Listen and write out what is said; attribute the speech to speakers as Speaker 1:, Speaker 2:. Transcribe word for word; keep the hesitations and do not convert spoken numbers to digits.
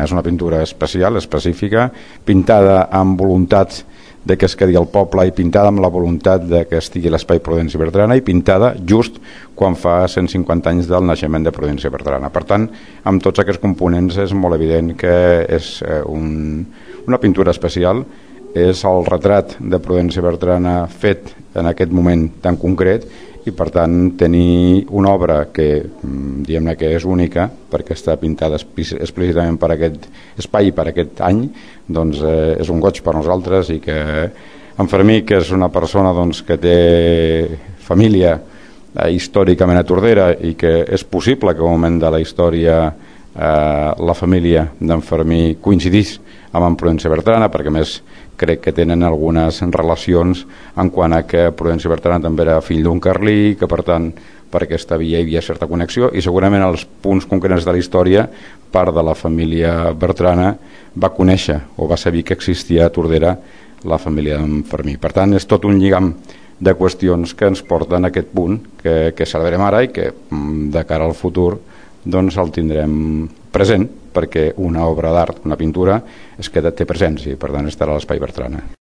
Speaker 1: És una pintura especial, específica, pintada amb voluntat de que es quedi al poble i pintada amb la voluntat de que estigui l'espai Prudenci Bertrana i pintada just quan fa cent cinquanta anys del naixement de Prudenci Bertrana. Per tant, amb tots aquests components és molt evident que és un, una pintura especial, és el retrat de Prudenci Bertrana fet en aquest moment tan concret i per tant tenir una obra que diguem-ne que és única perquè està pintada explícitament per aquest espai i per aquest any, doncs eh, és un goig per nosaltres i que en Fermí, que és una persona doncs, que té família eh, històricament a Tordera i que és possible que en un moment de la història eh, la família d'en Fermí coincidís amb en Prudenci Bertrana, perquè a més crec que tenen algunes relacions en quant a que Prudenci Bertrana també era fill d'un carlí, que per tant per aquesta via hi havia certa connexió i segurament els punts concrets de la història part de la família Bertrana va conèixer o va saber que existia a Tordera la família d'en Fermí. Per tant és tot un lligam de qüestions que ens porten a aquest punt que, que celebrem ara i que de cara al futur doncs el tindrem present perquè una obra d'art, una pintura, es queda, té presència i per tant estarà a l'Espai Bertrana.